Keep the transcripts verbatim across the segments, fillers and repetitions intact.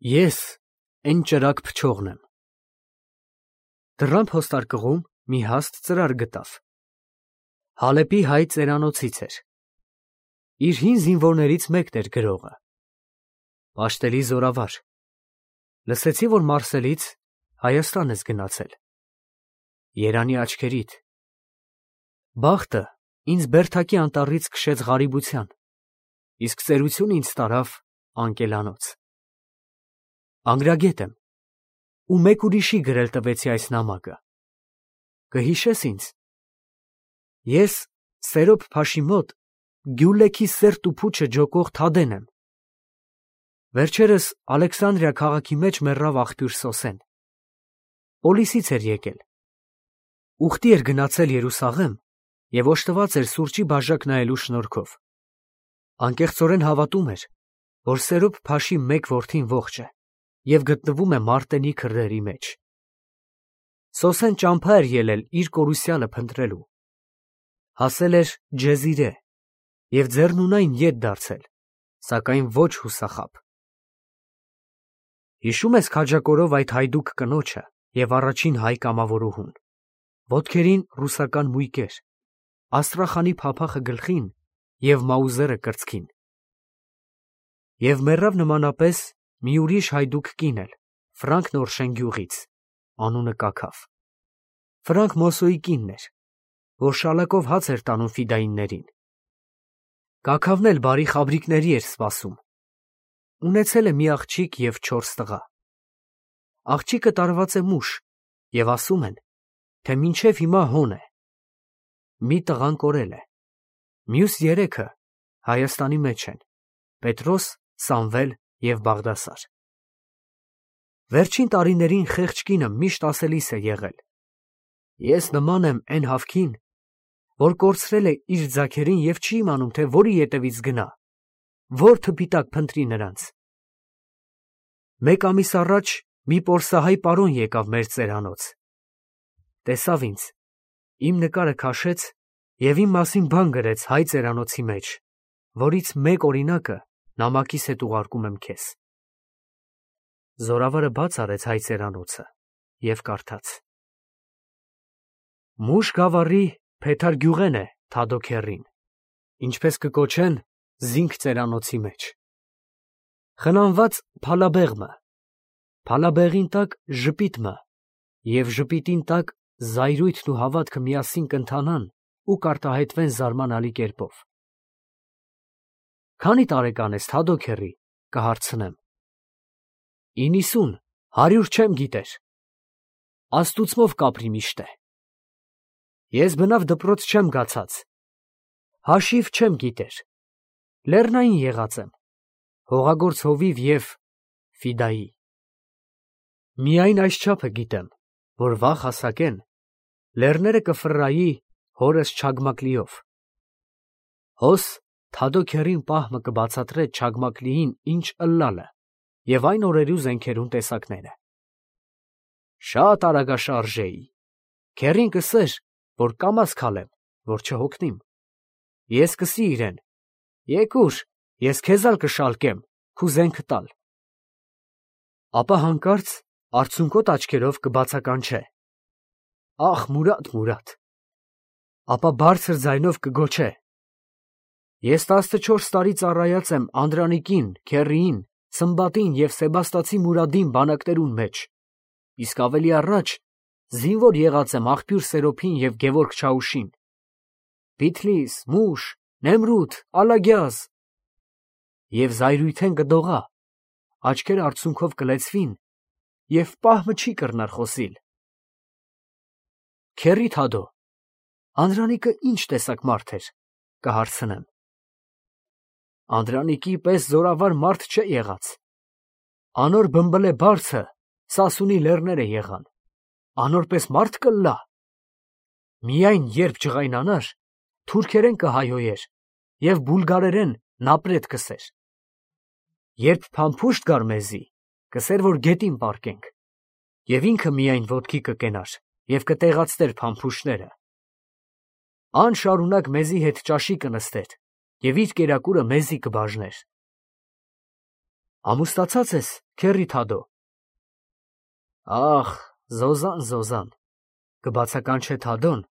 Ես էն ճրագ փչողն եմ։ Դռան փոստարկղում մի հաստ ծրար գտավ։ Հալեպի հայ ծերանոցից էր։ Իր հին զինվորներից մեկն էր գրողը։ Պաշտելի զորավար։ Լսեցի, որ Մարսելից Հայաստան ես գնացել։ Երանի աչքերիդ։ Բախտը ինձ Բերթակի անտառից քշեց ղարիբության, իսկ ծերությունը ինձ տարավ անկելանոց։ Անգրագետ եմ, ու մեկ ուրիշի գրել տվեցի այս նամակը։ Կհիշես ինձ։ Ես Սերոբ Փաշի մոտ Գյուլեքի սերտ ու փուչը ջոկող Թադեն եմ։ Վերջերս Ալեքսանդրիա քաղաքի մեջ մեռավ աղբյուր Սոսեն։ Պոլիսից էր եկել։ Ուխտի էր գնացել Երուսաղեմ և օժտված էր սուրճի բաժակ նայելու շնորհքով։ Անկեղծորեն հավատում էր, որ Սերոբ Փաշի մեկ որդին ողջ է և գտնվում է Մարտենի քրդերի մեջ։ Սոսեն ճամփա էր ելել իր կորուսյալը փնտրելու։ Հասել էր Ջեզիրե և ձեռնունայն ետ դարձել, սակայն ոչ հուսախաբ։ Հիշո՞ւմ ես քաջակորով այդ հայդուկ կնոջը և առաջին հայ կամավորուհուն, ոտքերին ռուսական մույկեր, Աստրախանի փափախը գլխին և Մաուզերը կրծքին։ Եվ մեռավ նմանապես մի ուրիշ հայդուկ կին էլ, Ֆրանկ Նորշեն գյուղից, անունը Կաքավ։ Ֆրանկ Մոսոյի կինն էր, որ շալակով հաց էր տանում ֆիդայիններին։ Կաքավն էլ բարի խաբրիկների էր սպասում։ Ունեցել է մի աղջիկ և չորս տղա։ Աղջիկը տարված է մուշ, և ասում են, թե մինչև հիմա հոն է։ Մի տղան կորել է։ Մյուս երեքը Հայաստանի մեջ են, Պետրոս, Սամվել և Բաղդասար։ Վերջին տարիներին խեղճ կինը միշտ ասելիս է եղել. ես նման եմ էն հավքին, որ կորցրել է իր ձագերին և չի իմանում, թե որի ետևից գնա, որ թփիտակ փնտրի նրանց։ Մեկ ամիս առաջ մի պորսահայ պարոն եկավ մեր ծերանոց։ Տեսավ ինձ, իմ նկարը քաշեց և իմ մասին բան գրեց հայ ծերանոցի մեջ, որից մեկ օրինակը նամակիս հետ ուղարկում եմ քեզ։ Զորավարը բաց արեց հայ ծերանոցը և կարդաց. Մուշ գավառի Փեթար Գյուղեն է Թադո քեռին, ինչպես կկոչեն զինք ծերանոցի մեջ։ Խնամված Փալաբեղմը, Փալաբեղին տակ ժպիտմը և ժպիտին տակ զայրույթն ու հավատքը միասին կընթանան ու կարտահայտվեն զարմանալի կերպով։ Քանի տարեկան ես Թադո քեռի, կհարցնեմ։ Իննիսուն, հարյուր չեմ գիտեր։ Աստուծմով կապրի միշտ է։ Ես բնավ դպրոց չեմ գացած։ Հաշիվ չեմ գիտեր։ Լեռնային եղած եմ, հողագործ հովիվ և ֆիդայի։ Միայն այս չափը գիտեմ, որ վաղ հասակեն լեռները կֆռայի հորս Չագմակլիով։ Հոս Թադո քեռին պահմը կբացատրե Չագմակլիին ինչ ըլլալը և այն օրերու զենքերուն տեսակները։ Շատ արագաշարժ էի։ Քեռին կսեր, որ կամաց քալեմ, որ չհոգնիմ։ Ես կսի իրեն. եկուր, ես քեզ ալ կշալկեմ, քու զենքը տալ։ Ապա հանկարծ արցունքոտ աչքերով կբացականչե. ախ, Մուրադ, Մուրադ։ Ապա բարձր ձայնով կգոչե. ես տասնչորս տարի ծառայած եմ Անդրանիկին, քեռիին, Սմբատին և Սեբաստացի Մուրադին բանակներուն մեջ, իսկ ավելի առաջ զինվոր եղած եմ աղբյուր Սերոբին և Գևորգ Չաուշին։ Բիթլիս, Մուշ, Նեմրութ, Ալագյազ։ Եվ զայրույթեն կդողա, աչքերը արցունքով կլեցվին, և պահմը չի կռնար խոսիլ։ Քեռի Թադո, Անդրանիկը ինչ տեսակ մարդ էր, կհարցնեմ։ Անդրանիկի պես զորավար մարդ չէ եղած։ Անոր բմբլե բարձը Սասունի լեռները եղան, անոր պես մարդ կլլա։ Միայն երբ ջղայնանար, թուրքերեն կհայոյեր և բուլգարերեն նապրետ կսեր։ Երբ փամփուշտ գար մեզի, կսեր, որ գետին պառկենք, և ինքը միայն ոտքի կկենար և կտեղացներ փամփուշտները։ Անշարունակ մեզի հետ ճաշի կնստեր և իր կերակուրը մեզի կբաժներ։ Ամուսնացած ես, քեռի Թադո։ Ախ, Զոզան, Զոզան, կբացականչե Թադոն,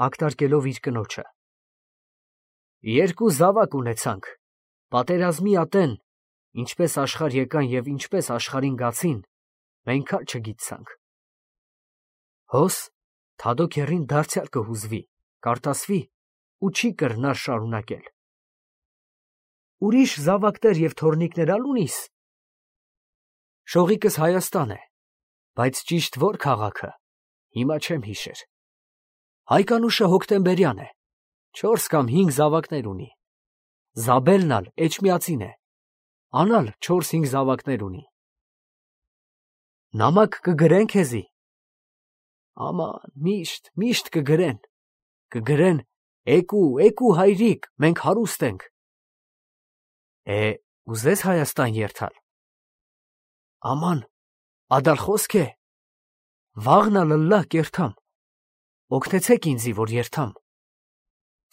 ակտարկելով իր կնոջը։ Երկու զավակ ունեցանք, պատերազմի ատեն, ինչպես աշխարհ եկան և ինչպես աշխարհին գացին, մենք ալ չգիտցանք։ Հոս Թադո քեռին դարձյալ կհուզվի, կարտասվի ու չի կրնար շարունակել։ Ուրիշ զավակներ և թոռնիկներ ալ ունիս։ Շողիկս Հայաստան է, բայց ճիշտ որ քաղաքը, հիմա չեմ հիշեր։ Հայկանուշը հոկտեմբերյան է, չորս կամ հինգ զավակներ ունի։ Զաբելն ալ էջմիածին է, անալ չորս-հինգ զավակներ ունի։ Նամակ կգրեն քեզի։ Աման, միշտ, միշտ կգրեն, կգրեն, էկու, էկու հայրիկ, մենք հարուստ ենք։ Է, ուզես Հայաստան երթալ։ Աման, ադալ խոսք է, վաղն ալ ըլլա կերթամ, օգնեցեք ինձի, որ երթամ։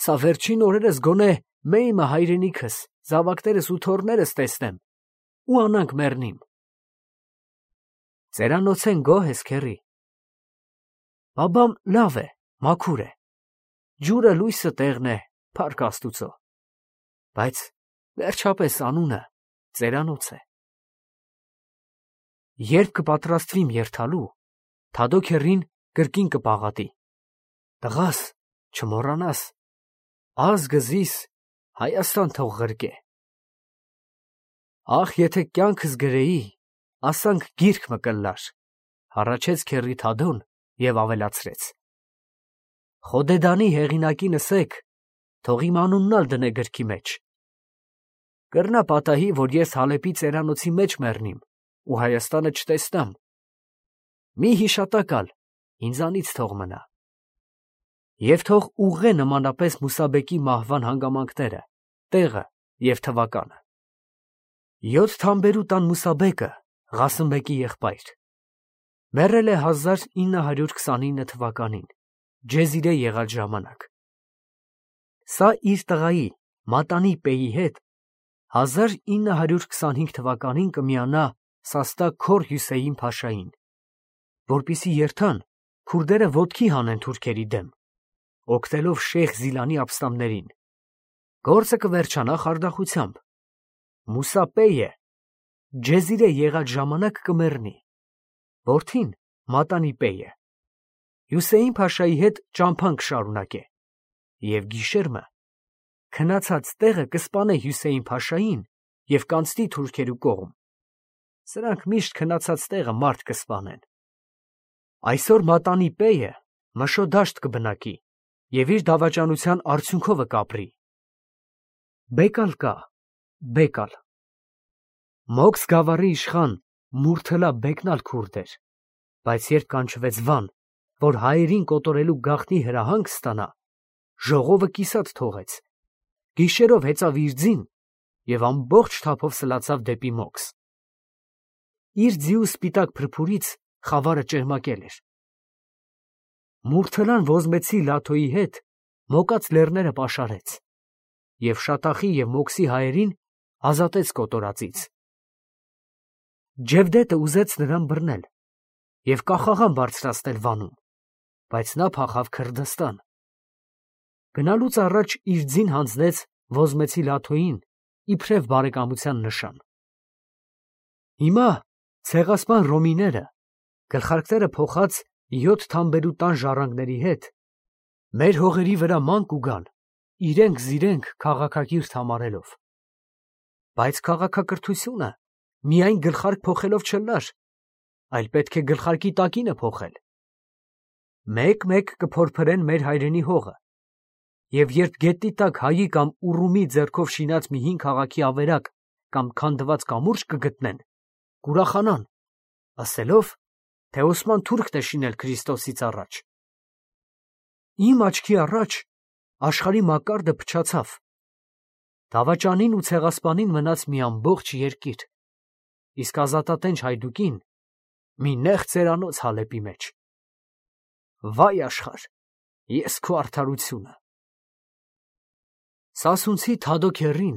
Սա վերջին օրերս գոնե մեյմը հայրենիքս, զավակներս ու թոռներս տեսնեմ, ու անանք մեռնիմ։ Ծերանոցեն գոհ ես, քեռի։ Բաբամ լավ է, մաքուր է, ջուրը լույսը տեղն է, փառք Աստուծո, բայց վերջապես անունը ծերանոց է։ Երբ կպատրաստվիմ երթալու, Թադո քեռին կրկին կպաղատի. տղաս, չմոռանաս, ազգը զիս Հայաստան թող ղրկե։ Ախ, եթե կյանքս գրեի, ասանք գիրք մը կլլար, հառաչեց քեռի Թադոն և ավելացրեց. Խոդեդանի հեղինակին ասեք, թող իմ անունն ալ դնե գրքի մեջ։ Կրնա պատահի, որ ես Հալեպի ծերանոցի մեջ մեռնիմ ու Հայաստանը չտեսնամ։ Մի հիշատակ ալ ինձանից թող մնա։ Եվ թող ուղղե նմանապես Մուսաբեկի մահվան հանգամանքները, տեղը և թվականը։ Յոթ թամբերու տան Մուսաբեկը, Ղասիմբեկի եղբայր, մեռել է հազար ինը հարյուր քսանինը թվականին, Ջեզիրե եղած ժամանակ։ Սա իր տղայի Մատանի Պեի հետ հազար ինը հարյուր քսանհինգ թվականին կմիանա Սաստա Քոր Հյուսեյն Փաշային, որպեսզի երթան քուրդերը ոտքի հանեն թուրքերի դեմ, օգնելով Շեյխ Զիլանի ապստամբներին։ Գործը կվերջանա խարդախությամբ։ Մուսա Պեյը Ջեզիրե եղած ժամանակ կմեռնի, որդին Մատանի Պեյը Հյուսեյն Փաշայի հետ ճամփան կշարունակե, և գիշերմը քնացած տեղը կսպանե Հյուսեյն Փաշային և կանցնի թուրքերու կողմ։ Սրանք միշտ քնացած տեղը մարդ կսպանեն։ Այսօր Մատանի Պեյը Մշո դաշտ կբնակի և իր դավաճանության արդյունքովը կապրի։ Բեկալ կա, Բեկալ։ Մոքս գավառի իշխան Մուրթլա Բեկն ալ քուրդ էր, բայց երբ կանչվեց Վան, որ հայերին կոտորելու գաղտնի հրահանգ ստանա, ժողովը կիսատ թողեց, գիշերով հեծավ իր ձին և ամբողջ թափով սլացավ դեպի Մոքս։ Իր ձիու սպիտակ փրփուրից խավարը ճերմակել էր։ Մուրթլան ոզմեցի Լաթոյի հետ մոկած լեռները պաշարեց և Շատախի և Մոքսի հայերին ազատեց կոտորածից։ Ջևդետը ուզեց նրան բռնել և կախաղան բարձրացնել Վանում, բայց նա փախավ Քրդստան։ Գնալուց առաջ իր ձին հանձնեց ոզմեցի Լաթոյին իբրև բարեկամության նշան։ Հիմա ցեղասպան ռոմիները, գլխարկները փոխած յոթ թամբերու տան ժառանգների հետ, մեր հողերի վրա ման կուգան, իրենք զիրենք քաղաքակիրթ համարելով։ Բայց քաղաքակրթությունը միայն գլխարկ փոխելով չլար, այլ պետք է գլխարկի տակինը փոխել։ Մեկ-մեկ կփորփրեն մեր հայրենի հողը, և երբ գետնի տակ հայի կամ ուռումի ձեռքով շինած մի հին քաղաքի ավերակ կամ քանդված կամուրջ կգտնեն, կուրախանան, ասելով, թե Օսման թուրքն է շինել Քրիստոսից առաջ։ Իմ աչքի առաջ աշխարհի մակարդը փչացավ։ Դավաճանին ու ցեղասպանին մնաց մի ամբողջ երկիր, իսկ ազատատենչ հայդուկին մի նեղ ծերանոց Հալեպի մեջ։ Վայ աշխարհ, ես քո արդարությունը։ Սասունցի Թադո քեռին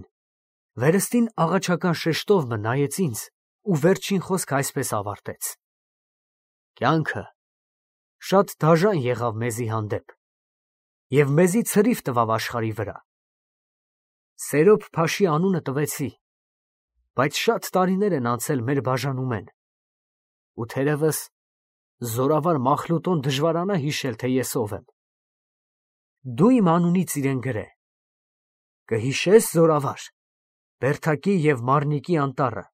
վերստին աղաչական շեշտով մը նայեց ինձ ու վերջին խոսքը այսպես ավարտեց. «Կյանքը շատ դաժան եղավ մեզի հանդեպ և մեզի ցրիվ տվավ աշխարհի վրա. Սերոբ փաշի անունը տվեցի, բայց շատ տարիներ են անցել մեր բաժանումեն, ու թերևս զորավար Մախլուտոն դժվարանա հիշել, թե ես ով եմ։ Դու իմ անունից իրեն գրե, կհիշես, զորավար, Բերթակի և Մարնիկի անտառը,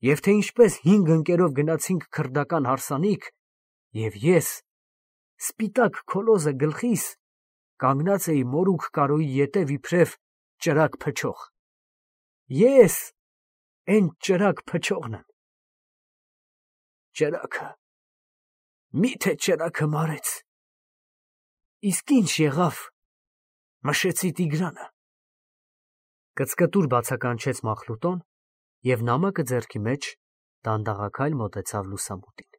և թե ինչպես հինգ ընկերով գնացինք քրդական հարսանիք, և ես, սպիտակ քոլոզը գլխիս, կանգնած էի մորուք կարոյի ետև իբրև ճրագ փչող։ Ես էն ճրագ փչողն եմ։ Ճրագը, մի՞թե ճրագը մարեց։ Իսկ ինչ եղավ, մշեցի Տիգրանը»։ Կծկտուր բացականչեց Մախլուտոն և նամակը ձեռքի մեջ դանդաղաքայլ մոտեցավ լուսամուտին։